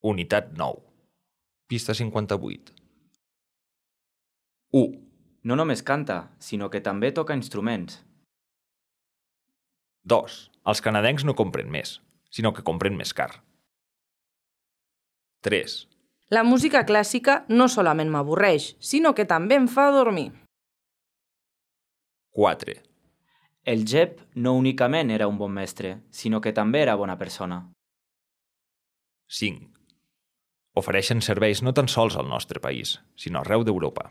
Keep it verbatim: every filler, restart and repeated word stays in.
Unitat nou. Pista cinquanta-vuit. u. No només canta, sinó que també toca instruments. dos. Els canadencs no compren més, sinó que compren més car. tres. La música clàssica no solament m'avorreix, sinó que també em fa dormir. quatre. El Jep no únicament era un bon mestre, sinó que també era bona persona. cinc. Ofereixen serveis no tan sols al nostre país, sinó arreu d'Europa.